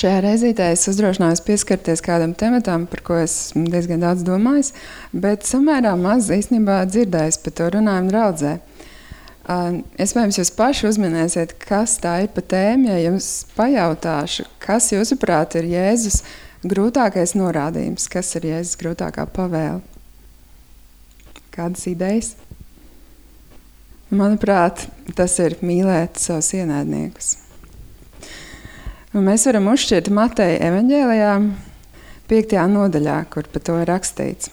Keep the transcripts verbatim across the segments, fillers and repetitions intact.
Šajā reizītē es uzdrošinājos pieskarties kādam tematam, par ko es diezgan daudz domājis, bet samērā maz īstenībā dzirdējis par to runājumu draudzē. Iespējams, jūs paši uzminēsiet, kas tā ir pa tēmu, ja jums pajautāšu, kas jūsuprāt ir Jēzus grūtākais norādījums, kas ir Jēzus grūtākā pavēle? Kādas idejas? Manuprāt, tas ir mīlēt savus ienaidniekus. Un mēs varam uzšķirt Mateja evaņģēlijā piektajā nodaļā, kur par to ir rakstīts.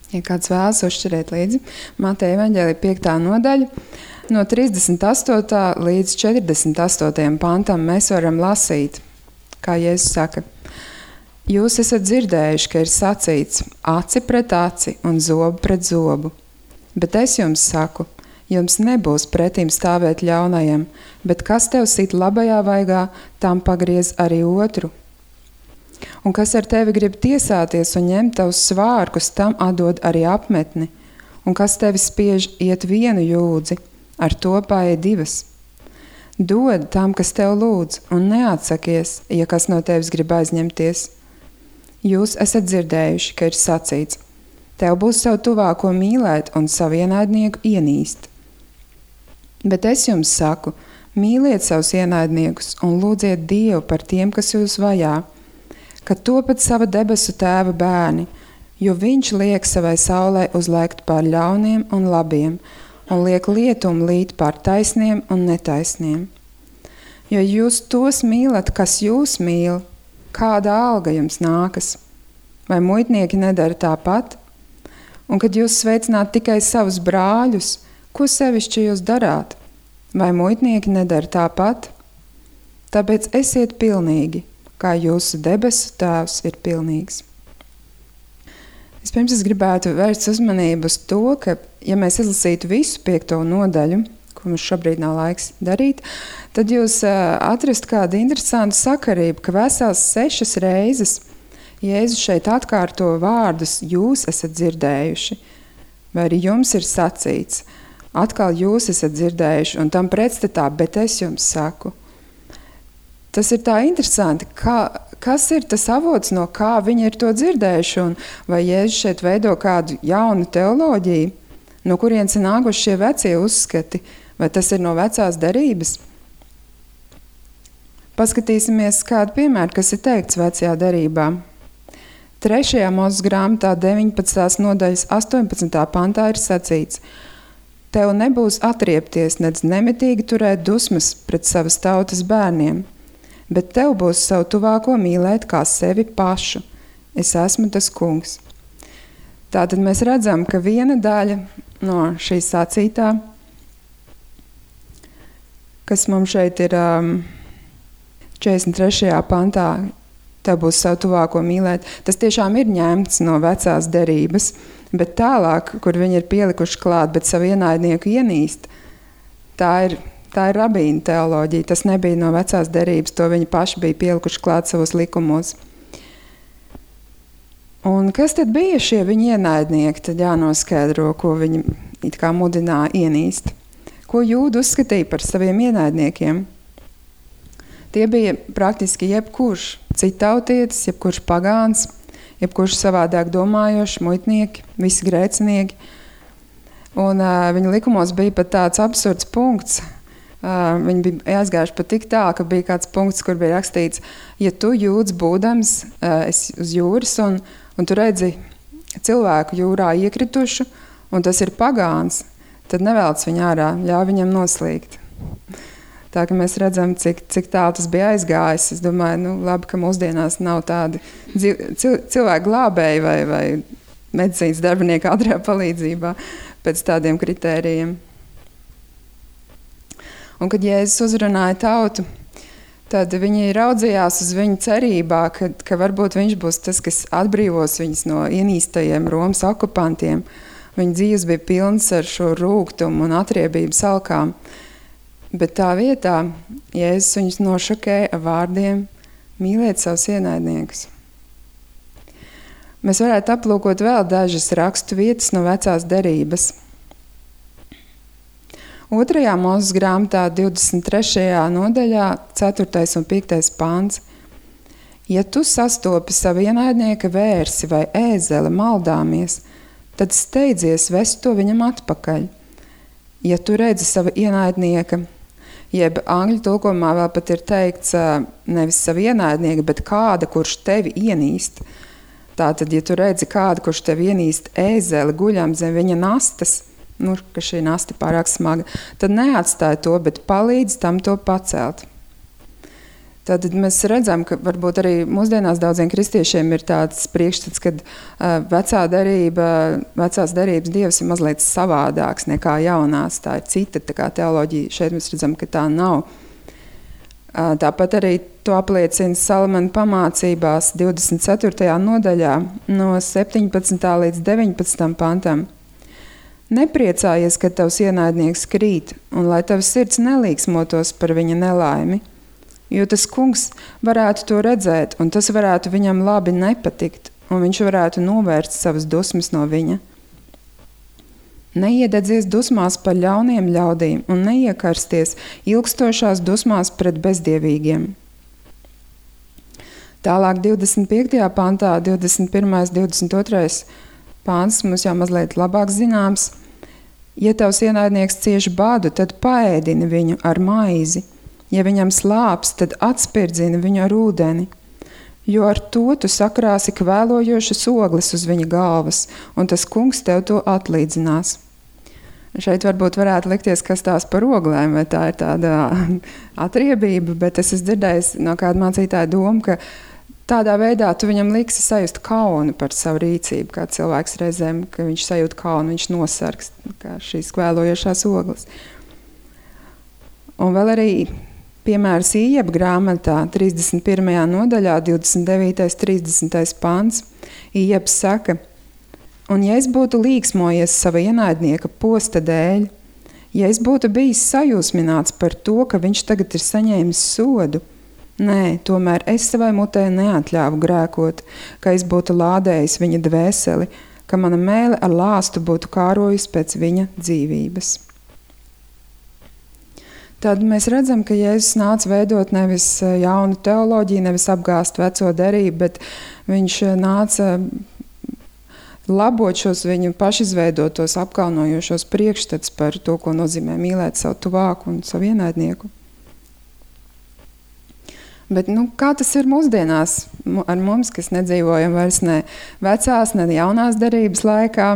Ja kāds vēlas uzšķirēt līdzi, Mateja evaņģēlijā piektā nodaļa, no trīsdesmit astotā līdz četrdesmit astotajam pantam mēs varam lasīt, kā Jēzus saka: Jūs esat dzirdējuši, ka ir sacīts aci pret aci un zobu pret zobu, bet es jums saku, jums nebūs pretīm stāvēt ļaunajam, bet kas tev sit labajā vaigā, tam pagriez arī otru. Un kas ar tevi grib tiesāties un ņemt tavus svārkus, tam atdod arī apmetni. Un kas tevi spiež iet vienu jūdzi, ar to paēd divas. Dod tam, kas tev lūdz, un neatsakies, ja kas no tevis grib aizņemties. Jūs esat dzirdējuši, ka ir sacīts: tev būs savu tuvāko mīlēt un savu ienaidnieku ienīst. Bet es jums saku, mīliet savus ienaidniekus un lūdziet Dievu par tiem, kas jūs vajā, ka topat sava debesu tēva bērni, jo viņš liek savai saulē uzlēkt pār ļauniem un labiem, un liek lietumu līt pār taisniem un netaisniem. Jo jūs tos mīlat, kas jūs mīl, kāda alga jums nākas? Vai muitnieki nedara tāpat? Un kad jūs sveicināt tikai savus brāļus, ko sevišķi jūs darāt? Vai muitnieki nedara tāpat? Tāpēc esiet pilnīgi, kā jūsu debesu tēvs ir pilnīgs. Vispirms es gribētu vērst uzmanību uz to, ka, ja mēs izlasītu visu piekto nodaļu, ko mums šobrīd nav laiks darīt, tad jūs atrast kādu interesantu sakarību, ka vesels sešas reizes Jēzus šeit atkārto vārdus jūs esat dzirdējuši, vai arī jums ir sacīts. Atkal jūs esat dzirdējuši, un tam pretstatā, bet es jums saku. Tas ir tā interesanti, kā, kas ir tas avots, no kā viņi ir to dzirdējuši, un vai Jēzus šeit veido kādu jaunu teoloģiju, no kurienes ir nākuši šie vecie uzskati, vai tas ir no vecās derības? Paskatīsimies kādu piemēru, kas ir teikts vecajā derībā. Trešajā Mūzes grāmatā deviņpadsmitās nodaļas astoņpadsmitā pantā ir sacīts: tev nebūs atriepties, nedz nemitīgi turēt dusmas pret savas tautas bērniem, bet tev būs savu tuvāko mīlēt kā sevi pašu. Es esmu tas kungs. Tātad mēs redzam, ka viena daļa no šī sacītā, kas mums šeit ir um, četrdesmit trešajā pantā, tev būs savu tuvāko mīlēt, tas tiešām ir ņemts no vecās derības, bet tālāk, kur viņi ir pielikuši klāt, bet savu ienaidnieku ienīst, tā ir, tā ir rabīna teoloģija. Tas nebija no vecās derības, to viņi paši bija pielikuši klāt savos likumos. Un kas tad bija šie viņa ienaidnieki? Tad jānoskaidro, ko viņi it kā mudināja ienīst. Ko Jūda uzskatīja par saviem ienaidniekiem? Tie bija praktiski jebkurš citautietis, jebkurš pagāns, jebkurš savādāk domājoši, muitnieki, visi grēcinieki. Un uh, viņa likumos bija pat tāds absurds punkts. Uh, viņi bija aizgājuši pat tik tā, ka bija kāds punkts, kur bija rakstīts: ja tu jūds būdams uh, esi uz jūras un, un tu redzi cilvēku jūrā iekritušu, un tas ir pagāns, tad nevelc viņu ārā, ļauj viņam noslīgt. Tā ka mēs redzam, cik, cik tālu tas bija aizgājis. Es domāju, nu labi, ka mūsdienās nav tādi cilvēku glābēji vai, vai medicīnas darbinieki ātrajā palīdzībā pēc tādiem kritērijiem. Un kad Jēzus uzrunāja tautu, tad viņi raudzījās uz viņu cerībā, ka, ka varbūt viņš būs tas, kas atbrīvos viņus no ienīstajiem Romas okupantiem. Viņa dzīves bija pilns ar šo rūgtumu un atriebību salkām. Bet tā vietā Jēzus viņus nošokēja ar vārdiem: mīliet savus ienaidniekus. Mēs varētu aplūkot vēl dažas rakstu vietas no vecās derības. Otrajā Mūzes grāmatā, divdesmit trešajā nodaļā, ceturtais un piektais pāns. Ja tu sastopi savu ienaidnieka vērsi vai ēzeli maldāmies, tad steidzies vest to viņam atpakaļ. Ja tu redzi savu ienaidnieka, jeb angļu tulkojumā vēl pat ir teikts nevis savu ienaidnieka, bet kāda, kurš tevi ienīst. Tātad, ja tu redzi kādu, kurš tevi ienīst ēzeli guļam zem viņa nastas, nu, ka šī nasta pārāk smaga, tad neatstāj to, bet palīdz tam to pacelt. Tad mēs redzam, ka varbūt arī mūsdienās daudziem kristiešiem ir tāds priekšstats, kad uh, vecā derība, vecās derības dievs ir mazliet savādāks nekā jaunās. Tā ir cita tā kā teoloģija. Šeit mēs redzam, ka tā nav. Uh, tāpat arī to apliecina Salamana pamācībās divdesmit ceturtajā nodaļā no septiņpadsmitā līdz deviņpadsmitam pantam. Nepriecājies, kad tavs ienaidnieks krīt, un lai tavs sirds nelīksmotos par viņa nelaimi, jo tas kungs varētu to redzēt, un tas varētu viņam labi nepatikt, un viņš varētu novērst savas dusmas no viņa. Neiededzies dusmās par ļauniem ļaudīm, un neiekarsties ilgstošās dusmās pret bezdievīgiem. Tālāk divdesmit piektajā pantā, divdesmit pirmais, divdesmit otrais pāns mums jau mazliet labāk zināms. Ja tavs ienaidnieks cieši bādu, tad paēdini viņu ar maizi. Ja viņam slāps, tad atspirdzini viņu ar ūdeni. Jo ar to tu sakrāsi kvēlojošas ogles uz viņa galvas, un tas kungs tev to atlīdzinās. Šeit varbūt varētu likties, kas tās par oglēm, vai tā ir tāda atriebība, bet es esmu dzirdējis no kāda mācītāja domu, ka tādā veidā tu viņam liksi sajust kaunu par savu rīcību, kā cilvēks reizēm, ka viņš sajūt kaunu, viņš nosargs, kā šīs kvēlojošās ogles. Un vēl arī piemērs Ījeba grāmatā, trīsdesmit pirmajā nodaļā, divdesmit devītais, trīsdesmitais pants. Ījebs saka, un ja es būtu līksmojies sava ienaidnieka posta dēļ, ja es būtu bijis sajūsmināts par to, ka viņš tagad ir saņēmis sodu, nē, tomēr es savai mutē neatļāvu grēkot, ka es būtu lādējis viņa dvēseli, ka mana mēle ar lāstu būtu kārojusi pēc viņa dzīvības. Tad mēs redzam, ka Jēzus nāca veidot nevis jaunu teoloģiju, nevis apgāst veco derību, bet viņš nāca labot šos viņu pašizveidotos, apkaunojošos priekšstats par to, ko nozīmē mīlēt savu tuvāku un savu ienaidnieku. Bet nu, kā tas ir mūsdienās ar mums, kas nedzīvojam vairs ne vecās, ne jaunās derības laikā?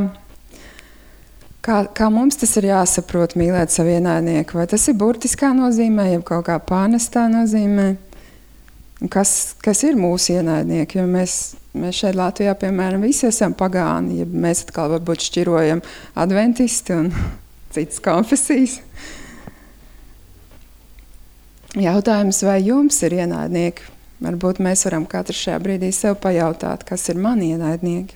Kā, kā mums tas ir jāsaprot mīlēt savu ienaidnieku? Vai tas ir burtiskā nozīmē, ja kaut kā pārnestā nozīmē? Kas, kas ir mūsu ienaidnieki? Jo mēs, mēs šeit Latvijā, piemēram, visi esam pagāni, ja mēs atkal varbūt šķirojam adventisti un citas konfesijas. Jautājums, vai jums ir ienaidnieki? Varbūt mēs varam katrs šajā brīdī sev pajautāt, kas ir mani ienaidnieki.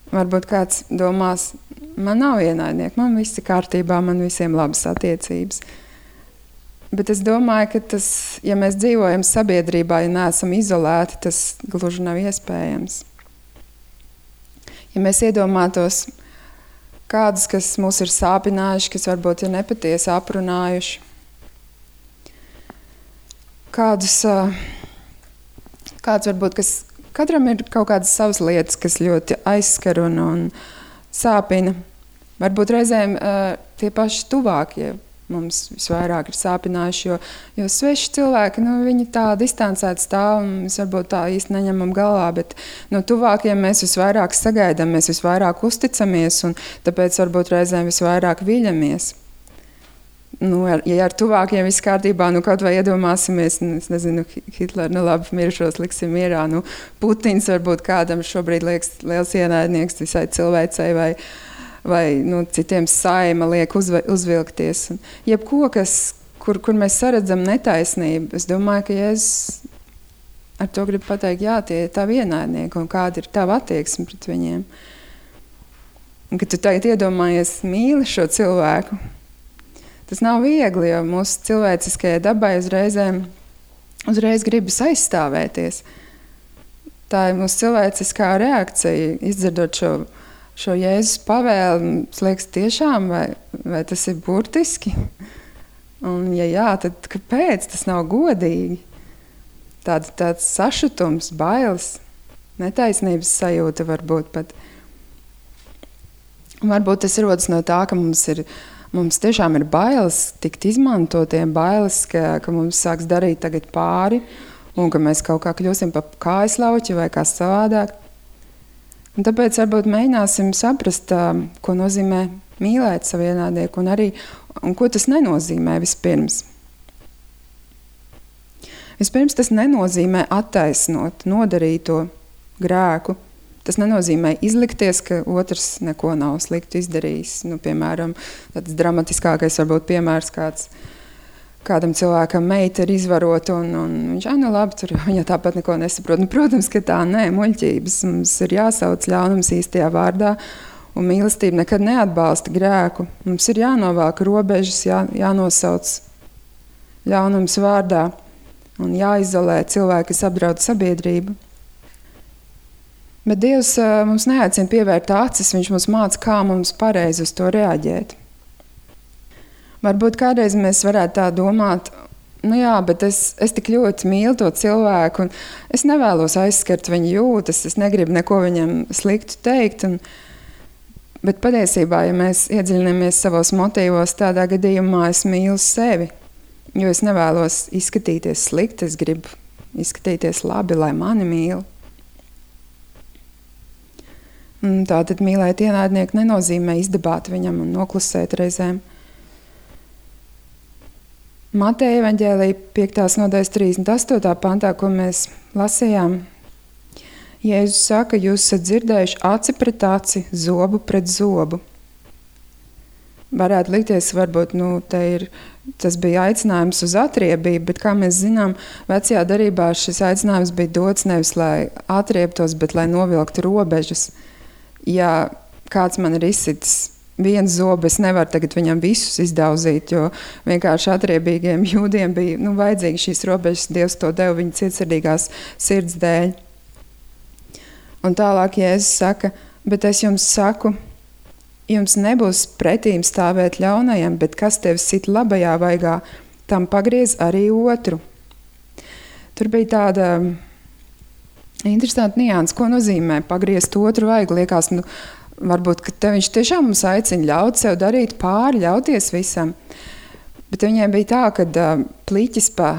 Varbūt kāds domās, man nav ienaidnieki, man viss ir kārtībā, man visiem labas attiecības. Bet es domāju, ka tas, ja mēs dzīvojam sabiedrībā, ja neesam izolēti, tas gluži nav iespējams. Ja mēs iedomātos kādus, kas mūs ir sāpinājuši, kas varbūt ir nepatiesi aprunājuši, Kādus, kādus varbūt, kas katram ir kaut kādas savas lietas, kas ļoti aizskar un, un sāpina. Varbūt reizēm tie paši tuvākie mums visvairāk ir sāpinājuši, jo, jo sveši cilvēki, nu, viņi tā distancēti stāv un mēs varbūt tā īsti neņemam galvā, bet no tuvākiem mēs visvairāk sagaidām, mēs visvairāk uzticamies un tāpēc varbūt reizēm visvairāk viļamies. Nu, ja ar tuvākiem viss kārtībā, nu kaut vai iedomāsimies, nu, es nezinu, Hitler, nu labi, mirušos liksim mierā, nu Putins varbūt kādam šobrīd liekas liels ienaidnieks visai cilvēcei vai, vai nu, citiem saima liek uzve, uzvilkties. Un jebko, kas, kur, kur mēs saredzam netaisnību, es domāju, ka Jēzus ar to grib pateikt, jā, tie ir tavi ienaidnieki un kāda ir tava attieksme pret viņiem. Un, kad tu tagad iedomājies mīli šo cilvēku, tas nav viegli, jo mūsu cilvēciskajai dabai uzreizēm, uzreiz gribas aizstāvēties. Tā ir mūsu cilvēciskā reakcija, izdzirdot šo šo Jēzus pavēli, liekas tiešām, vai, vai tas ir burtiski? Un ja jā, tad kāpēc tas nav godīgi? Tāds, tāds sašutums, bailes, netaisnības sajūta varbūt pat. Varbūt tas rodas no tā, ka mums ir Mums tiešām ir bailes tikt izmantotiem, bailes, ka, ka mums sāks darīt tagad pāri un ka mēs kaut kā kļūsim pa kājaslauķi vai kā savādāk. Un tāpēc varbūt mēģināsim saprast, ko nozīmē mīlēt savu ienaidnieku un arī, un ko tas nenozīmē vispirms. Vispirms tas nenozīmē attaisnot nodarīto grēku. Tas nenozīmē izlikties, ka otrs neko nav sliktu izdarījis. Nu, piemēram, tāds dramatiskākais varbūt piemērs kāds, kādam cilvēkam meita ir izvarota un, un viņš, ah, nu labi, tur viņa tāpat neko nesaprot. Nu, protams, ka tā nē, muļķības. Mums ir jāsauc ļaunums īstajā vārdā un mīlestība nekad neatbalsta grēku. Mums ir jānovelk robežas, jā, jānosauc ļaunums vārdā un jāizolē cilvēki, kas apdraud sabiedrību. Bet Dievs mums neaicina pievērt acis, viņš mums māca, kā mums pareizi uz to reaģēt. Varbūt kādreiz mēs varētu tā domāt, nu jā, bet es, es tik ļoti mīlu to cilvēku, un es nevēlos aizskart viņa jūtas, es negribu neko viņam sliktu teikt, un, bet patiesībā, ja mēs iedziļinamies savos motīvos, tādā gadījumā es mīlu sevi, jo es nevēlos izskatīties slikti, es gribu izskatīties labi, lai mani mīl. Tātad mīlēt ienaidnieku nenozīmē izdabāt viņam un noklusēt reizēm. Mateja evaņģēlija piektās nodaļas trīsdesmit astotā pantā, ko mēs lasījām, Jēzus saka, jūs esat dzirdējuši aci pret aci, zobu pret zobu. Varētu likties, varbūt, nu, te ir, tas bija aicinājums uz atriebību, bet, kā mēs zinām, vecajā darībā šis aicinājums bija dots nevis, lai atriebtos, bet lai novilktu robežas. Ja kāds man ir izsitis viens zobu, es nevaru tagad viņam visus izdauzīt, jo vienkārši atriebīgiem jūdiem bija nu, vajadzīgi šīs robežas, Dievs to deva viņa cietsirdīgās sirds dēļ. Un tālāk Jēzus saka, bet es jums saku, jums nebūs pretīm stāvēt ļaunajam, bet kas tevi sit labajā vaigā, tam pagriez arī otru. Tur bija tāda interesanti nianses, ko nozīmē pagriezt otru vaigu. Liekas, nu, varbūt, ka te viņš tiešām mums aicina ļaut sev darīt pāri, ļauties visam. Bet viņiem bija tā, ka uh, pliķis pa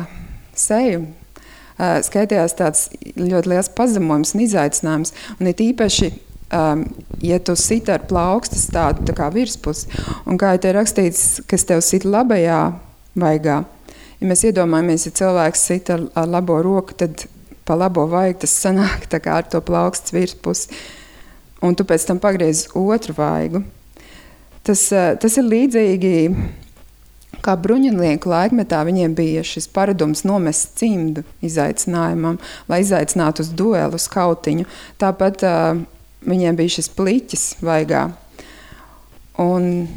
seju uh, skaitījās tāds ļoti liels pazemojums un izaicinājums. Un it īpaši, um, ja tu sit ar plaukstas tādu tā kā virspusi, un kā te rakstīts, kas tev sit labajā vaigā, ja mēs iedomājamies, ja cilvēks sit ar, ar labo roku, tad pa labo vaigu tas sanāk tā kā ar to plaukstas virspusi, un tu pēc tam pagriez otru vaigu. Tas, tas ir līdzīgi, kā bruņinieku laikmetā viņiem bija šis paradums nomest cimdu izaicinājumam, lai izaicinātu uz duelu, uz kautiņu. Tāpat uh, viņiem bija šis pliķis vaigā. Un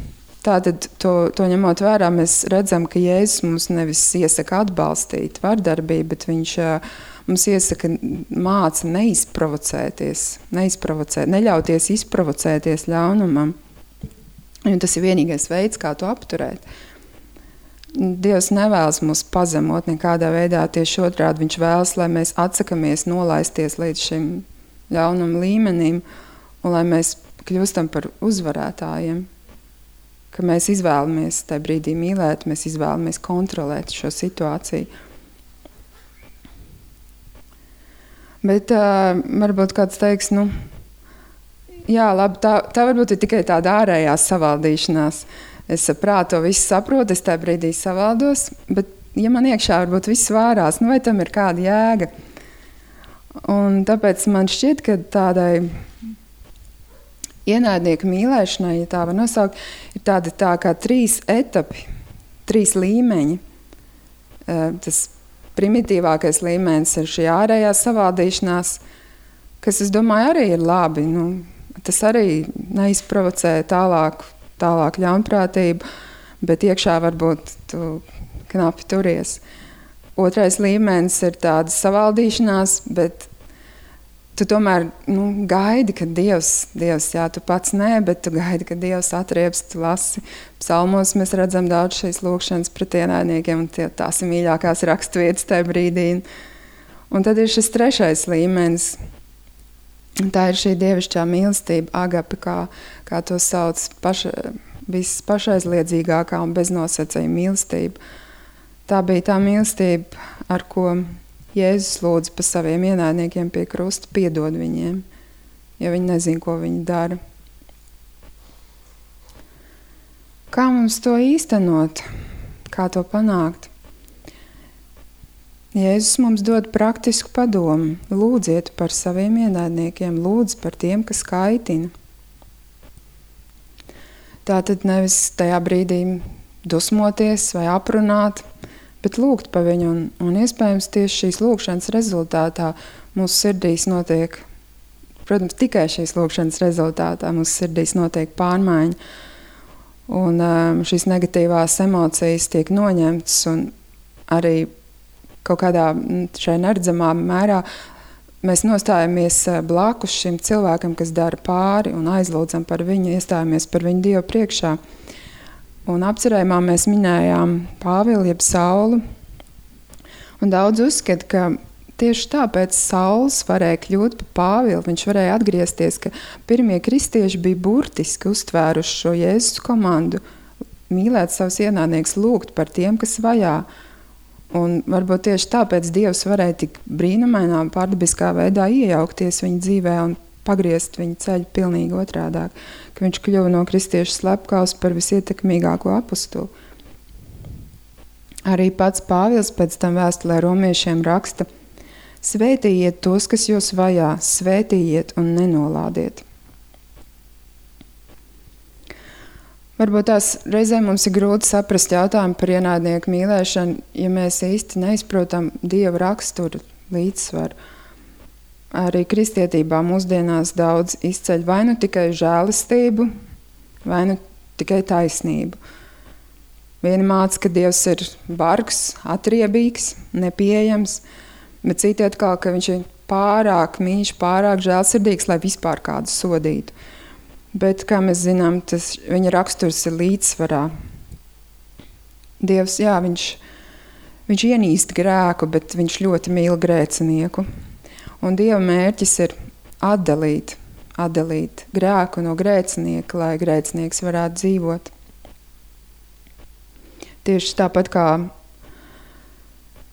tātad to, to ņemot vērā, mēs redzam, ka Jēzus mums nevis iesaka atbalstīt vardarbību, bet viņš uh, mums iesaka māca neizprovocēties, neizprovocēt, neļauties izprovocēties ļaunumam. Un tas ir vienīgais veids, kā to apturēt. Dievs nevēlas mūs pazemot nekādā veidā, tieši otrādi viņš vēlas, lai mēs atsakamies nolaisties līdz šim ļaunuma līmenim un lai mēs kļūstam par uzvarētājiem. Ka mēs izvēlamies tajā brīdī mīlēt, mēs izvēlamies kontrolēt šo situāciju. Bet uh, varbūt kāds teiks, nu, jā, labi, tā, tā varbūt ir tikai tāda ārējā savaldīšanās. Es prāto visu saprotu, es tajā brīdī savaldos, bet ja man iekšā varbūt viss vārās, nu vai tam ir kāda jēga? Un tāpēc man šķiet, ka tādai ienaidnieku mīlēšanai, ja tā var nosaukt, ir tādi tā kā trīs etapi, trīs līmeņi. Uh, tas primitīvākais līmenis ir šī ārējā savaldīšanās, kas, es domāju, arī ir labi. Nu, tas arī neizprovocē tālāk, tālāk ļaunprātību, bet iekšā varbūt tu knapi turies. Otrais līmenis ir tāda savaldīšanās, bet tu tomēr nu, gaidi, ka Dievs, Dievs, jā, tu pats nē, bet tu gaidi, ka Dievs atrieps, tu lasi. Psalmos mēs redzam daudz šīs lūkšanas pret ienaidniekiem, un tie, tās ir mīļākās raksturvietas tajā brīdī. Un tad ir šis trešais līmenis. Tā ir šī dievišķā mīlestība, agape, kā, kā to sauc, paša, viss pašaizliedzīgākā un beznosacījuma mīlestība. Tā bija tā mīlestība, ar ko Jēzus lūdza pa saviem ienaidniekiem pie krusta, piedod viņiem, jo viņi nezin, ko viņi dara. Kā mums to īstenot? Kā to panākt? Jēzus mums dod praktisku padomu. Lūdziet par saviem ienaidniekiem, lūdz par tiem, kas kaitina. Tātad nevis tajā brīdī dusmoties vai aprunāt, bet lūgt pa viņu, un, un iespējams tieši šīs lūgšanas rezultātā mūsu sirdīs notiek, protams, tikai šīs lūgšanas rezultātā mūsu sirdīs notiek pārmaiņa, un um, šīs negatīvās emocijas tiek noņemtas, un arī kaut kādā šai neredzamā mērā mēs nostājamies blakus šim cilvēkam, kas dara pāri, un aizlūdzam par viņu, iestājamies par viņu Dievu priekšā. Un apcerējumā mēs minējām Pāvilu, jeb Saulu. Un daudz uzskata, ka tieši tāpēc Sauls varēja kļūt par Pāvilu. Viņš varēja atgriezties, ka pirmie kristieši bija burtiski uztvēruši šo Jēzus komandu, mīlēt savus ienaidniekus, lūgt par tiem, kas vajā. Un varbūt tieši tāpēc Dievs varēja tik brīnumainā, pārdabiskā veidā iejaukties viņa dzīvē un pagriezt viņa ceļu pilnīgi otrādāk, ka viņš kļuva no kristiešu slepkavas par visietekmīgāko apostulu. Arī pats Pāvils pēc tam vēstulē romiešiem raksta: svētījiet tos, kas jūs vajā, svētījiet un nenolādiet. Varbūt tās reizē mums ir grūti saprast jautājumu par ienaidnieku mīlēšanu, ja mēs īsti neizprotam Dieva raksturu līdzsvaru. Arī kristietībā mūsdienās daudz izceļ vai nu tikai žēlistību, vai nu tikai taisnību. Vieni māca, ka Dievs ir bargs, atriebīgs, nepieejams, bet citi atkal, ka viņš ir pārāk mīļš, pārāk žēlsirdīgs, lai vispār kādu sodītu. Bet, kā mēs zinām, tas viņa raksturs ir līdzsvarā. Dievs, jā, viņš, viņš ienīst grēku, bet viņš ļoti mīl grēcinieku. Un Dieva mērķis ir atdalīt, atdalīt grēku no grēcinieka, lai grēcinieks varētu dzīvot. Tieši tāpat kā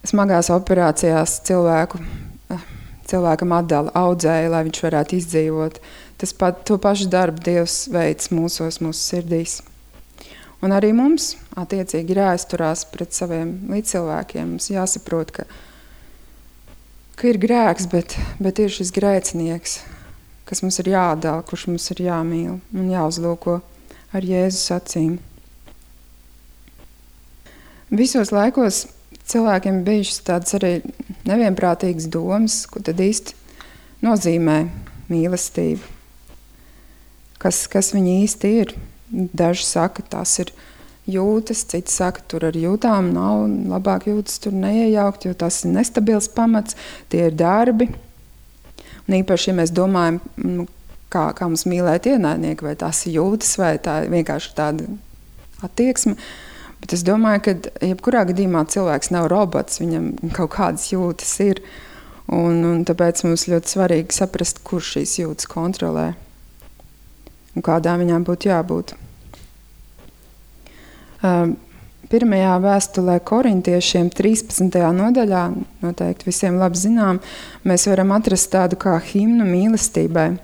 smagās operācijās cilvēku, cilvēkam atdala audzēju, lai viņš varētu izdzīvot. Tas pat, to pašu darbu Dievs veids mūsos, mūsu sirdīs. Un arī mums attiecīgi ir jāizturās pret saviem līdzcilvēkiem. Mums jāsaprot, ka ka ir grēks, bet, bet ir šis grēcinieks, kas mums ir jāatdala, kurš mums ir jāmīl un jāuzlūko ar Jēzus acīm. Visos laikos cilvēkiem bijušas tādas arī nevienprātīgas domas, ko tad īsti nozīmē mīlestība. Kas, kas viņi īsti ir? Daži saka, tās ir jūtas, citi saka, tur ar jūtām nav, labāk jūtas tur neiejaukt, jo tas ir nestabils pamats, tie ir darbi. Un īpaši, ja mēs domājam, nu, kā, kā mums mīlēt ienaidnieku, vai tās ir jūtas, vai tā ir vienkārši tāda attieksme. Bet es domāju, ka jebkurā gadījumā cilvēks nav robots, viņam kaut kādas jūtas ir. Un, un tāpēc mums ļoti svarīgi saprast, kurš šīs jūtas kontrolē un kādām viņām būtu jābūt. Pirmajā vēstulē korintiešiem trīspadsmitajā nodaļā, noteikti visiem labi zinām, mēs varam atrast tādu kā himnu mīlestībai.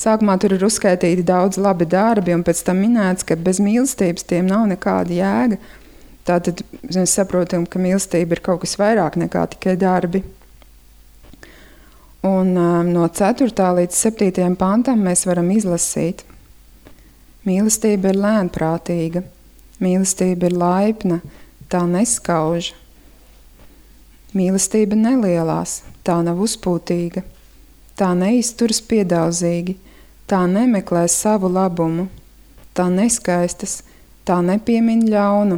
Sākumā tur ir uzskaitīti daudz labi darbi, un pēc tam minēts, ka bez mīlestības tiem nav nekāda jēga. Tātad mēs saprotam, ka mīlestība ir kaut kas vairāk nekā tikai darbi. Un um, no ceturtā līdz septītajam pantam mēs varam izlasīt. Mīlestība ir lēnprātīga, mīlestība ir laipna, tā neskauž. Mīlestība nelielās, tā nav uzpūtīga, tā neizturas piedaudzīgi, tā nemeklē savu labumu, tā neskaistas, tā nepiemin ļaunu,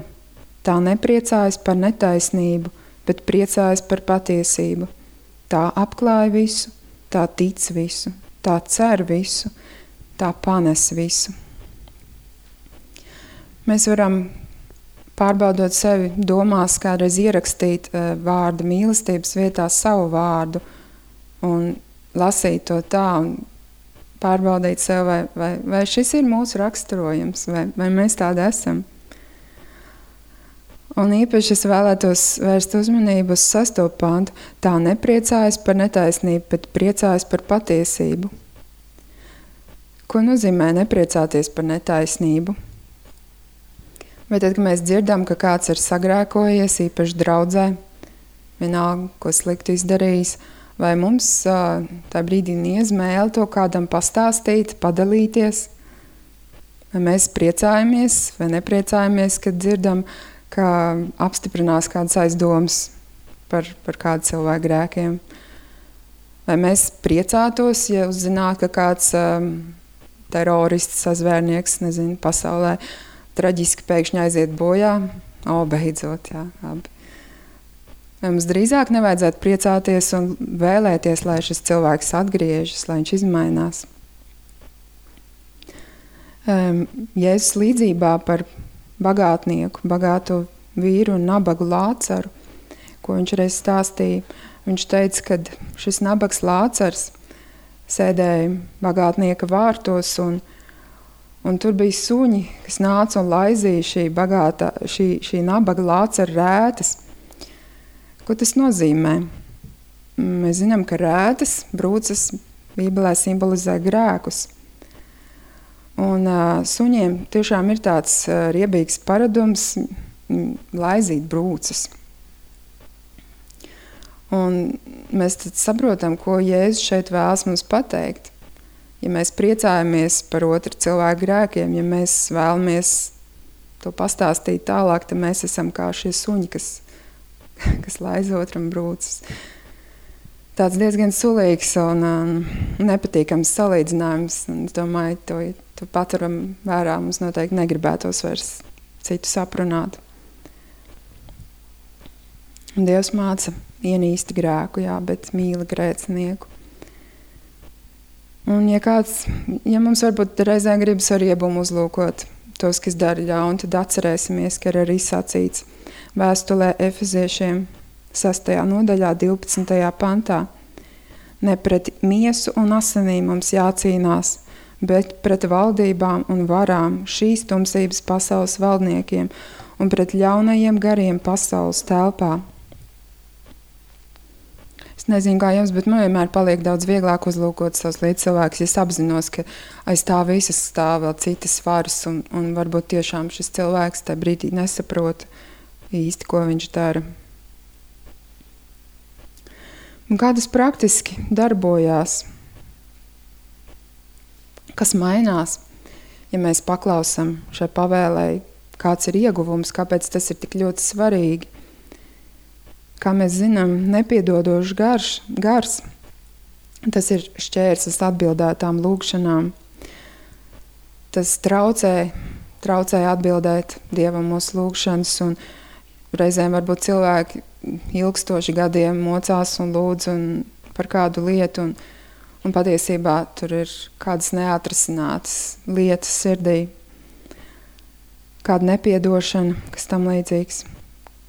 tā nepriecājas par netaisnību, bet priecājas par patiesību, tā apklāj visu, tā tic visu, tā cer visu, tā panes visu. Mēs varam, pārbaudot sevi, domās kādreiz ierakstīt uh, vārdu mīlestības vietā savu vārdu un lasīt to tā un pārbaudīt sev, vai, vai, vai šis ir mūsu raksturojums, vai, vai mēs tādi esam. Un īpaši es vēlētos vērst uzmanību uz sesto pantu. Tā nepriecājas par netaisnību, bet priecājas par patiesību. Ko nozīmē nepriecāties par netaisnību? Vai tad, kad mēs dzirdam, ka kāds ir sagrēkojies, īpaši draudzē, vienalga, ko sliktu izdarījis, vai mums tā brīdī niezmēle to kādam pastāstīt, padalīties? Vai mēs priecājamies vai nepriecājamies, kad dzirdam, ka apstiprinās kādas aizdomas par, par kādu cilvēku grēkiem? Vai mēs priecātos, ja uzzinātu, ka kāds um, terorists, sazvērnieks, nezinu, pasaulē traģiski pēkšņi aiziet bojā? O, beidzot, jā, labi. Vai mums drīzāk nevajadzētu priecāties un vēlēties, lai šis cilvēks atgriežas, lai viņš izmainās? Um, Jēzus līdzībā par bagātnieku, bagāto vīru un nabagu Lācaru, ko viņš reiz stāstīja. Viņš teica, ka šis nabags Lācars sēdēja bagātnieka vārtos, un, un tur bija suņi, kas nāca un laizīja šī, bagātā, šī, šī nabaga Lācara rētas. Ko tas nozīmē? Mēs zinām, ka rētas, brūces Bībelē simbolizē grēkus. Un uh, suņiem tiešām ir tāds uh, riebīgs paradums m, laizīt brūces. Un mēs tad saprotam, ko Jēzus šeit vēlas mums pateikt. Ja mēs priecājamies par otru cilvēku grēkiem, ja mēs vēlamies to pastāstīt tālāk, tad mēs esam kā šie suņi, kas, kas laiz otram brūces. Tāds diezgan sulīgs un um, nepatīkams salīdzinājums. Un es domāju, to, to paturam vērā, mums noteikti negribētos vairs citu saprunāt. Un Dievs māca ienīsti grēku, jā, bet mīli grēcinieku. Un ja kāds, ja mums varbūt reizē gribas ar iebumu uzlūkot tos, kas dara ļaunu, tad atcerēsimies, ka ir arī sacīts vēstulē Efeziešiem sastajā nodaļā, divpadsmitajā pantā. Ne pret miesu un asinīm mums jācīnās, bet pret valdībām un varām, šīs tumsības pasaules valdniekiem un pret ļaunajiem gariem pasaules telpā. Es nezinu, kā jums, bet man vienmēr paliek daudz vieglāk uzlūkot savus līdzcilvēkus, ja es apzinos, ka aiz tā visas stāv vēl citas varas, un, un varbūt tiešām šis cilvēks tajā brīdī nesaprot īsti, ko viņš dara. Un kā tas praktiski darbojās? Kas mainās, ja mēs paklausam šai pavēlei, kāds ir ieguvums, kāpēc tas ir tik ļoti svarīgi? Kā mēs zinām, nepiedodošs gars, gars, tas ir šķērslis atbildētām lūgšanām. Tas traucē, traucē atbildēt Dievam mūsu lūgšanas, un reizēm varbūt cilvēki ilgstoši gadiem mocās un lūdz un par kādu lietu, un, un patiesībā tur ir kādas neatrisinātas lietas sirdī, kāda nepiedošana, kas tam līdzīgs.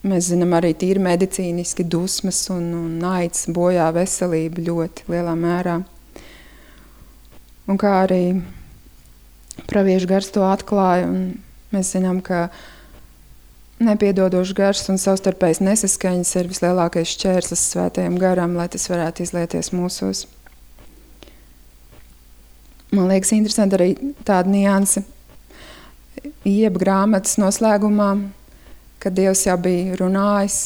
Mēs zinām arī tīri medicīniski dusmas un, un naids bojā veselību ļoti lielā mērā. Un kā arī praviešu gars to atklāja, un mēs zinām, ka nepiedodošs gars un savstarpējas nesaskaņas ir vislielākais šķērslis svētajam garam, lai tas varētu izlieties mūsos. Man liekas interesanti arī tāda nianse Ieba grāmatas noslēgumā, kad Dievs jau bija runājis,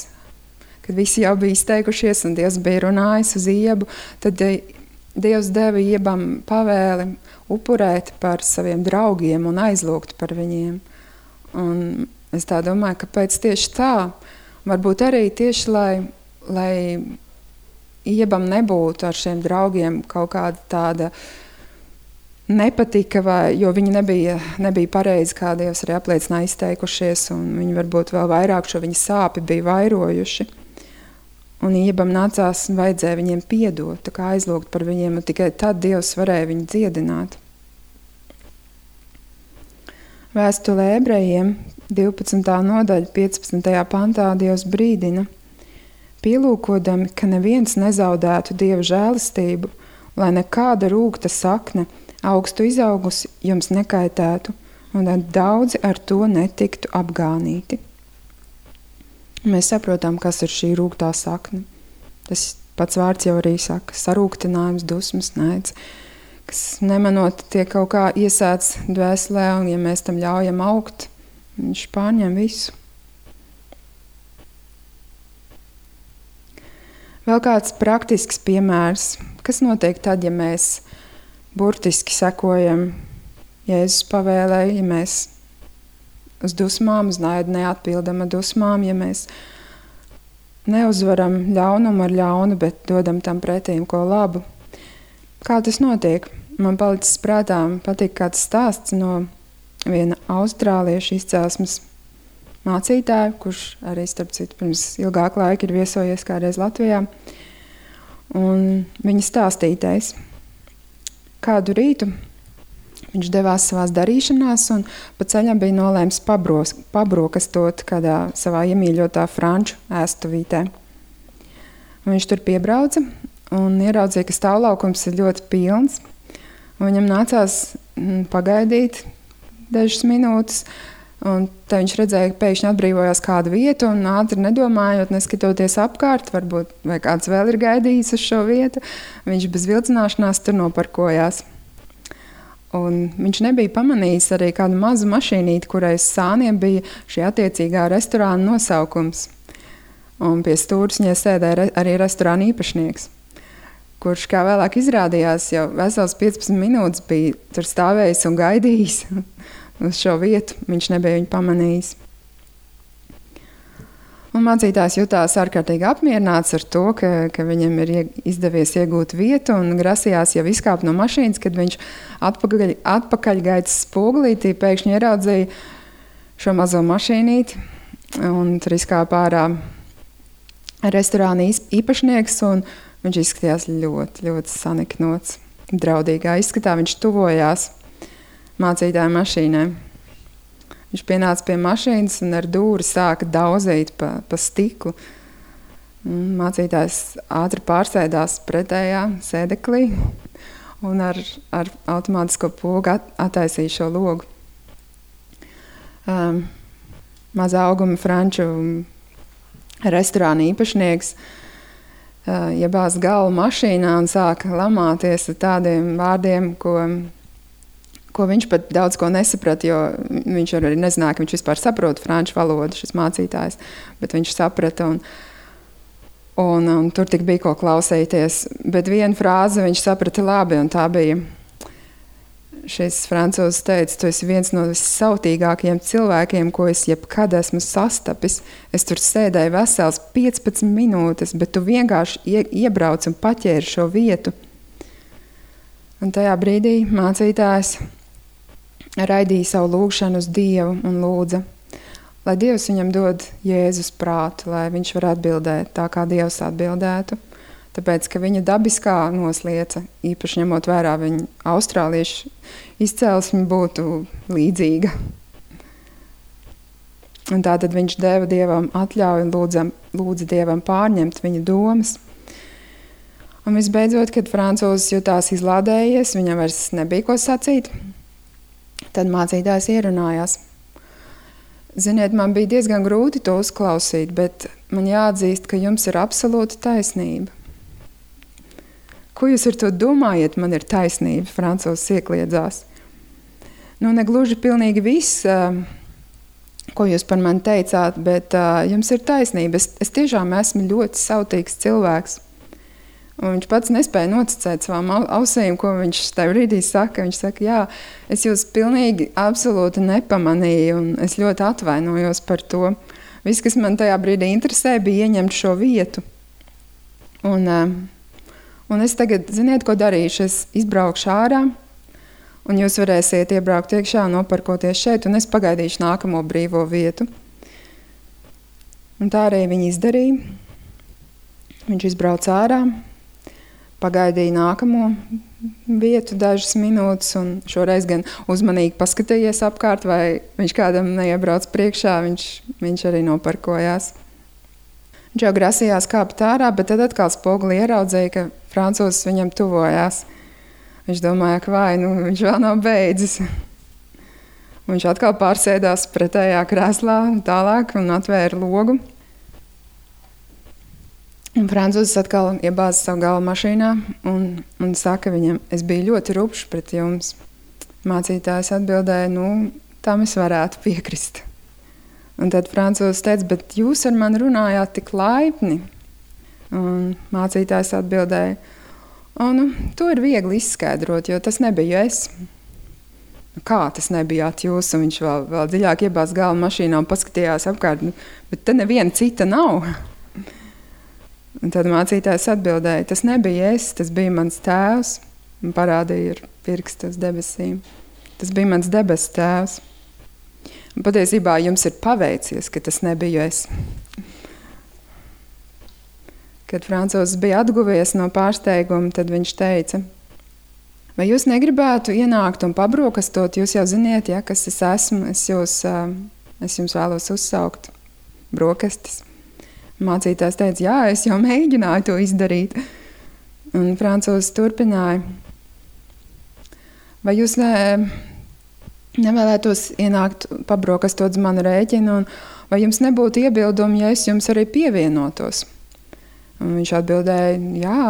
kad visi jau bija izteikušies un Dievs bija runājis uz Iebu, tad Dievs deva Iebam pavēli upurēt par saviem draugiem un aizlūgt par viņiem. Un es tā domāju, kāpēc tieši tā? Varbūt arī tieši, lai, lai Iebam nebūtu ar šiem draugiem kaut kāda tāda nepatika, vai, jo viņi nebija, nebija pareizi, kā Dievs arī apliecināja izteikušies, un viņi varbūt vēl vairāk šo viņa sāpi bija vairojuši. un Iebam nācās un vajadzēja viņiem piedot, tā kā aizlūgt par viņiem, un tikai tad Dievs varēja viņu dziedināt. Vēstulē ebrejiem divpadsmitā nodaļa piecpadsmitajā pantā Dievs brīdina, pielūkodami, ka neviens nezaudētu Dieva žēlastību, lai nekāda rūgta sakne augstu izaugusi jums nekaitētu, un lai daudzi ar to netiktu apgānīti. Mēs saprotam, kas ir šī rūgtā sakne. Tas pats vārds jau arī saka, sarūgtinājums, dusmas, naids, kas nemanot tiek kaut kā iesēts dvēselē, un ja mēs tam ļaujam augt, viņš pārņem visu. Vēl kāds praktisks piemērs, kas notiek tad, ja mēs burtiski sekojam Jēzus pavēlei, ja mēs uz dusmām, uz naidu neatpildam ar dusmām, ja mēs neuzvaram ļaunumu ar ļaunu, bet dodam tam pretīm ko labu. Kā tas notiek? Man palicis prātā, patīk kāds stāsts no viena austrāliešu izcelsmes mācītāju, kurš arī, starp citu, pirms ilgāk laika ir viesojies kādreiz Latvijā. Un viņa stāstītais, kādu rītu viņš devās savās darīšanās un pa ceļam bija nolēms pabros, pabrokastot kādā savā iemīļotā franču ēstuvītē. Un viņš tur piebrauca un ieraudzīja, ka stāvlaukums ir ļoti pilns. Un viņam nācās pagaidīt dažas minūtes, un tad viņš redzēja, ka pēkšņi atbrīvojās kādu vietu, un ātri nedomājot, neskatoties apkārt, varbūt vai kāds vēl ir gaidījis uz šo vietu, viņš bez vilcināšanās tur noparkojās. Un viņš nebija pamanījis arī kādu mazu mašīnīti, kurai uz sāniem bija šī attiecīgā restorāna nosaukums. Un pie stūršņa sēdēja arī restorāna īpašnieks, kurš, kā vēlāk izrādījās, jau vesels piecpadsmit minūtes bija tur stāvējis un gaidījis uz šo vietu. Viņš nebija viņu pamanījis. Un mācītājs jutās ārkārtīgi apmierināts ar to, ka, ka viņam ir izdevies iegūt vietu un grasījās jau izkāpt no mašīnas, kad viņš atpakaļ, atpakaļgaitas spogulītī pēkšņi ieraudzīja šo mazo mašīnīti, un tur izkāpa ārā restorāna īpašnieks, un viņš izskatījās ļoti, ļoti saniknots. Draudīgā izskatā viņš tuvojās mācītāja mašīnai. Viņš pienāca pie mašīnas un ar dūri sāka dauzīt pa, pa stiklu. Mācītājs ātri pārsēdās pretējā sēdeklī un ar, ar automātisko pogu at, attaisīja šo logu. Um, mazā auguma franču restorāna īpašnieks uh, iebāz galvu mašīnā un sāka lamāties ar tādiem vārdiem, ko ko viņš pat daudz ko nesaprata, jo viņš arī nezināja, ka viņš vispār saprot franču valodu, šis mācītājs, bet viņš saprata, un, un, un tur tik bija ko klausīties. Bet vienu frāzi viņš saprata labi, un tā bija, šis francūzs teica, tu esi viens no vissautīgākajiem cilvēkiem, ko es jebkad esmu sastapis. Es tur sēdēju vesels piecpadsmit minūtes, bet tu vienkārši ie, iebrauc un paķēri šo vietu. Un tajā brīdī mācītājs raidīja savu lūgšanu uz Dievu un lūdza, lai Dievs viņam dod Jēzus prātu, lai viņš var atbildēt tā, kā Dievs atbildētu. Tāpēc, ka viņa dabiskā noslieca, īpaši ņemot vērā viņa austrāliešu izcelsmi, būtu līdzīga. Un tātad viņš deva Dievam atļauju un lūdza, lūdza Dievam pārņemt viņa domas. Un visbeidzot, kad francūzis jutās izlādējies, viņam vairs nebija ko sacīt, tad mācītājs ierunājās. Ziniet, man bija diezgan grūti to uzklausīt, bet man jāatzīst, ka jums ir absolūta taisnība. Ko jūs ar to domājat, man ir taisnība, francūzis iekliedzās. Nu, negluži pilnīgi viss, ko jūs par mani teicāt, bet jums ir taisnība. Es, es tiešām esmu ļoti sautīgs cilvēks. Un viņš pats nespēja noticēt savām ausīm, ko viņš tajā brīdī saka. Viņš saka, jā, es jūs pilnīgi absolūti nepamanīju, un es ļoti atvainojos par to. Viss, kas man tajā brīdī interesē, bija ieņemt šo vietu. Un, un es tagad, ziniet, ko darīšu? Es izbraukšu ārā, un jūs varēsiet iebraukt iekšā, noparkoties šeit, un es pagaidīšu nākamo brīvo vietu. Un tā arī viņi izdarīja. Viņš izbrauca ārā, pagaidīja nākamo vietu dažas minūtes un šoreiz gan uzmanīgi paskatījies apkārt, vai viņš kādam neiebrauc priekšā, viņš, viņš arī noparkojās. Viņš jau grasījās kāpt ārā, bet tad atkal spoguli ieraudzīja, ka francūzis viņam tuvojās. Viņš domāja, ka vai, nu, viņš vēl nav beidzis. Viņš atkal pārsēdās pretējā krēslā tālāk un atvēra logu. Un francūzis atkal iebāza savu galvu mašīnā un, un saka viņam, es biju ļoti rupšs pret jums. Mācītājs atbildēja, nu, tam es varētu piekrist. Un tad francūzis teica, bet jūs ar mani runājāt tik laipni. Un mācītājs atbildēja, o, nu, to ir viegli izskaidrot, jo tas nebija es. Kā tas nebijāt jūs? Un viņš vēl, vēl dziļāk iebāza galvu mašīnā un paskatījās apkārt, bet te neviena cita nav. Un tad mācītājs atbildēja, tas nebija es, tas bija mans tēvs, un parādīja ar pirkstu uz debesīm. Tas bija mans debesu tēvs. Un patiesībā jums ir paveicies, ka tas nebiju es. Kad francūzis bija atguvies no pārsteiguma, tad viņš teica, vai jūs negribētu ienākt un pabrokastot, jūs jau ziniet, ja, kas es esmu, es, jūs, es jums vēlos uzsaukt brokastis. Mācītājs teica, jā, es jau mēģināju to izdarīt. Un francūzis turpināja, vai jūs ne, nevēlētos ienākt pabrokastot uz manu rēķinu, un vai jums nebūtu iebildumi, ja es jums arī pievienotos? Un viņš atbildēja, jā,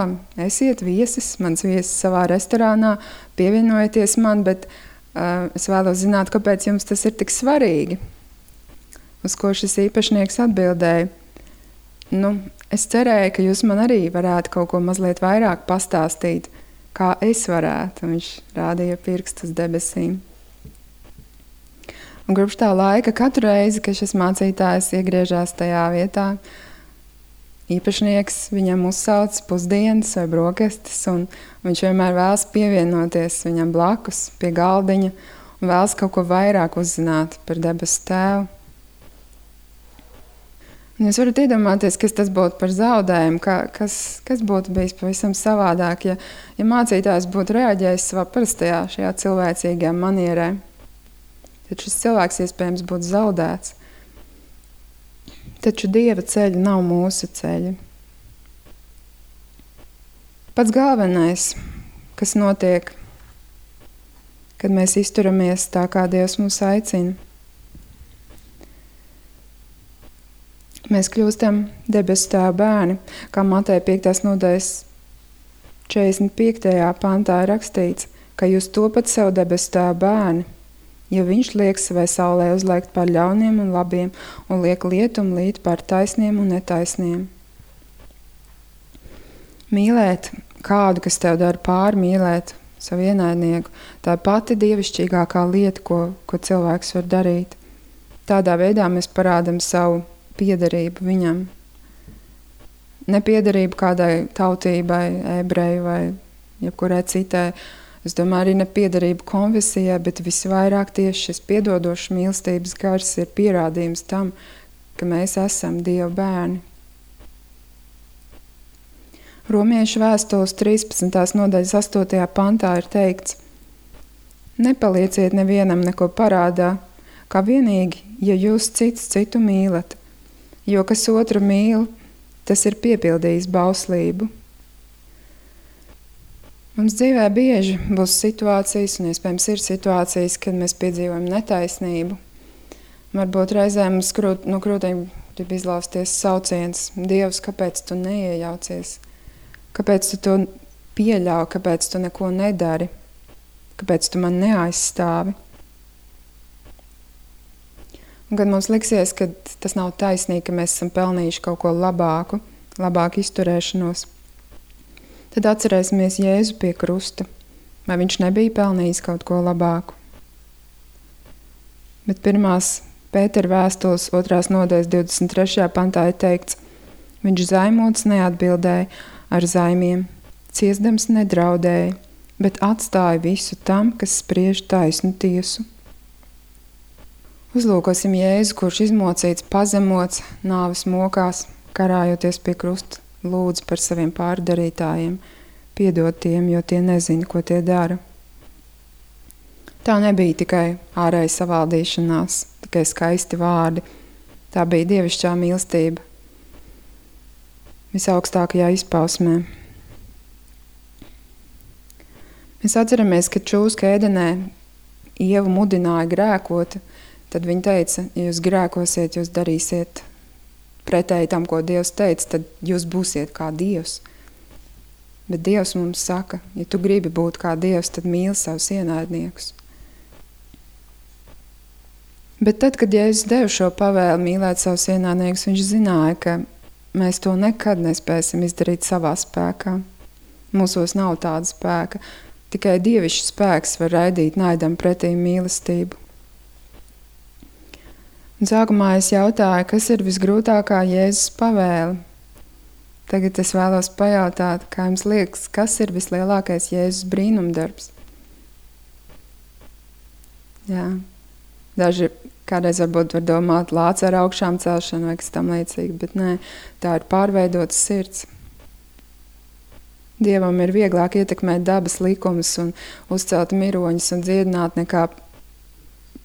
esiet viesis, mans viesis savā restorānā, pievienojieties man, bet uh, es vēlos zināt, kāpēc jums tas ir tik svarīgi. Uz ko šis īpašnieks atbildēja, nu, es cerēju, ka jūs man arī varētu kaut ko mazliet vairāk pastāstīt, kā es varētu. Un viņš rādīja pirkstu uz debesīm. Un kopš tā laika katru reizi, kad šis mācītājs iegriežās tajā vietā, īpašnieks viņam uzsauc pusdienas vai brokastis, un viņš vienmēr vēlas pievienoties viņam blakus pie galdiņa un vēlas kaut ko vairāk uzzināt par debesu tēvu. Un jūs varat iedomāties, kas tas būtu par zaudējumu, ka, kas, kas būtu bijis pavisam savādāk, ja, ja mācītājs būtu reaģējis savā parastajā šajā cilvēcīgajā manierē. Tad šis cilvēks iespējams būtu zaudēts. Taču Dieva ceļi nav mūsu ceļi. Pats galvenais, kas notiek, kad mēs izturamies tā, kā Dievs mūs aicina, mēs kļūstam debesu tēva bērni, kā Mateja piektās nodaļas četrdesmit piektajā pantā ir rakstīts, ka jūs topat sev debesu tēva bērni, ja viņš liek savai saulē uzliekt par ļauniem un labiem un liek lietumu līt par taisniem un netaisniem. Mīlēt kādu, kas tev dara pāri, mīlēt savu ienaidnieku, tā ir pati dievišķīgākā lieta, ko, ko cilvēks var darīt. Tādā veidā mēs parādam savu piederību viņam. Nepiederību kādai tautībai, ebreju vai jebkurai citai. Es domāju, arī nepiederību konfesijai, bet visvairāk tieši šis piedodošs mīlestības gars ir pierādījums tam, ka mēs esam Dieva bērni. Romiešu vēstules trīspadsmitās nodaļas astotajā pantā ir teikts: nepalieciet nevienam neko parādā, kā vienīgi, ja jūs cits citu mīlat, jo kas otru mīl, tas ir piepildījis bauslību. Mums dzīvē bieži būs situācijas, un iespējams ir situācijas, kad mēs piedzīvojam netaisnību. Varbūt reizēm mums krūt, no krūtīm grib izlausties sauciens: Dievs, kāpēc tu neiejaucies? Kāpēc tu to pieļauj? Kāpēc tu neko nedari? Kāpēc tu man neaizstāvi? Un kad mums liksies, ka tas nav taisnīgi, ka mēs esam pelnījuši kaut ko labāku, labāku izturēšanos, tad atcerēsimies Jēzu pie krusta. Vai viņš nebija pelnījis kaut ko labāku? Bet pirmās Pētera vēstules otrās nodaļas divdesmit trešajā pantā ir teikts: viņš zaimots neatbildēja ar zaimiem, ciesdams nedraudēja, bet atstāja visu tam, kas spriež taisnu tiesu. Uzlūkosim Jēzu, kurš izmocīts, pazemots, nāves mokās, karājoties pie krusta, lūdz par saviem pārdarītājiem, piedod tiem, jo tie nezina, ko tie dara. Tā nebija tikai ārēja savaldīšanās, tikai skaisti vārdi. Tā bija dievišķā mīlestība visaugstākajā izpausmē. Mēs atceramies, ka čūska ēdenē Ievu mudināja grēkot, tad viņa teica, ja jūs grēkosiet, jūs darīsiet pretēji tam, ko Dievs teica, tad jūs būsiet kā Dievs. Bet Dievs mums saka, ja tu gribi būt kā Dievs, tad mīli savus ienaidniekus. Bet tad, kad Jēzus deva šo pavēli mīlēt savus ienaidniekus, viņš zināja, ka mēs to nekad nespēsim izdarīt savā spēkā. Mūsos nav tāda spēka. Tikai dievišķs spēks var raidīt naidam pretī mīlestību. Un sākumā es jautāju, kas ir visgrūtākā Jēzus pavēle. Tagad es vēlos pajautāt, kā jums liekas, kas ir vislielākais Jēzus brīnumdarbs? Jā, daži kādreiz varbūt var domāt lāca ar augšām celšanu vai kas tam līdzīgi, bet nē, tā ir pārveidots sirds. Dievam ir vieglāk ietekmēt dabas likumus un uzcelt miroņus un dziedināt, nekā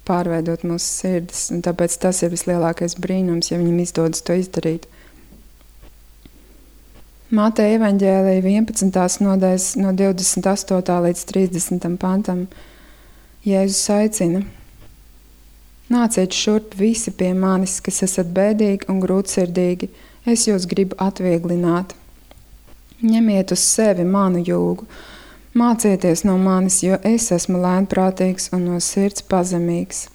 pārveidot mūsu sirdis. Un tāpēc tas ir vislielākais brīnums, ja viņam izdodas to izdarīt. Mateja evaņģēlija vienpadsmitās nodaļas no divdesmit astotā līdz trīsdesmitam pantam Jēzus aicina: Nāciet šurp visi pie manis, kas esat bēdīgi un grūtsirdīgi, es jūs gribu atvieglināt. Ņemiet uz sevi manu jūgu, mācieties no manis, jo es esmu lēnprātīgs un no sirds pazemīgs.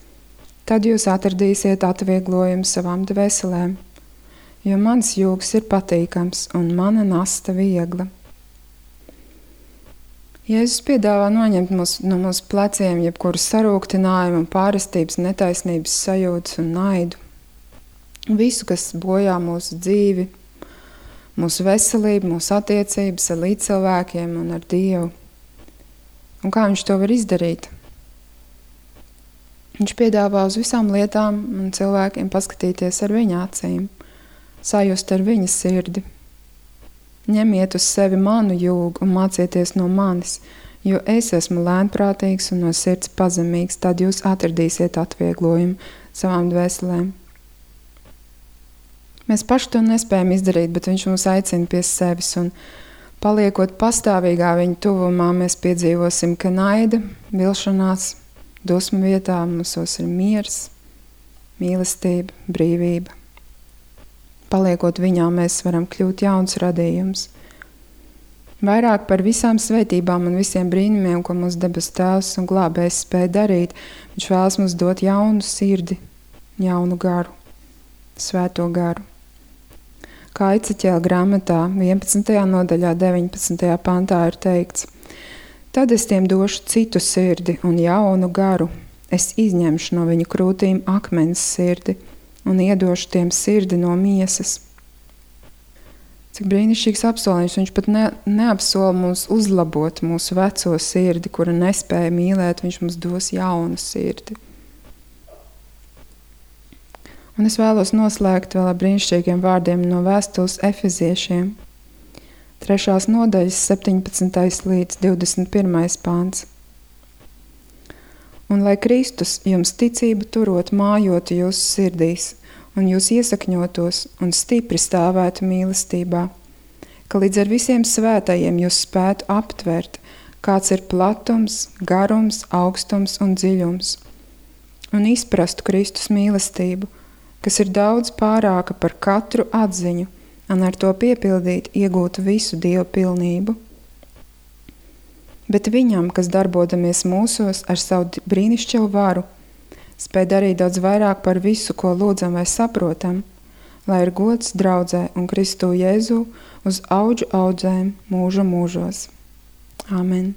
Tad jūs atradīsiet atvieglojumu savām dvēselēm, jo mans jūgs ir patīkams un mana nasta viegla. Jēzus piedāvā noņemt mūs, no mūsu pleciem jebkuru sarūktinājumu, pārestības, netaisnības sajūtas un naidu. Visu, kas bojā mūsu dzīvi, mūsu veselību, mūsu attiecības ar līdzcilvēkiem un ar Dievu. Un kā viņš to var izdarīt? Viņš piedāvā uz visām lietām un cilvēkiem paskatīties ar viņa acīm, sajust ar viņa sirdi. Ņemiet uz sevi manu jūgu un mācieties no manis, jo es esmu lēnprātīgs un no sirds pazemīgs, tad jūs atradīsiet atvieglojumu savām dvēselēm. Mēs paši to nespējam izdarīt, bet viņš mūs aicina pie sevis, un paliekot pastāvīgā viņa tuvumā, mēs piedzīvosim, ka naida, vilšanās, dusmu vietā mūsos ir miers, mīlestība, brīvība. Paliekot viņā, mēs varam kļūt jauns radījums. Vairāk par visām svētībām un visiem brīnumiem, ko mūsu debes tēvs un glābējs spēja darīt, viņš vēlas mums dot jaunu sirdi, jaunu garu, svēto garu. Kā Eceķēla grāmatā vienpadsmitajā nodaļā deviņpadsmitajā pantā ir teikts: Tad es tiem došu citu sirdi un jaunu garu. Es izņemšu no viņu krūtīm akmens sirdi un iedošu tiem sirdi no miesas. Cik brīnišķīgs apsolījums, viņš pat ne, neapsola mums uzlabot mūsu veco sirdi, kura nespēja mīlēt, viņš mums dos jaunu sirdi. Un es vēlos noslēgt vēl ar brīnišķīgiem vārdiem no vēstules Efeziešiem. Trešās nodaļas septiņpadsmitais līdz divdesmit pirmais pāns. Un lai Kristus jums ticību turot mājotu jūsu sirdīs, un jūs iesakņotos un stipri stāvētu mīlestībā, ka līdz ar visiem svētajiem jūs spētu aptvert, kāds ir platums, garums, augstums un dziļums, un izprastu Kristus mīlestību, kas ir daudz pārāka par katru atziņu, un ar to piepildīt iegūt visu Dievu pilnību. Bet viņam, kas darbodamies mūsos ar savu brīnišķīgu varu, spēj darīt daudz vairāk par visu, ko lūdzam vai saprotam, lai ir gods draudzē un Kristu Jēzu uz audžu audzēm mūža mūžos. Āmen.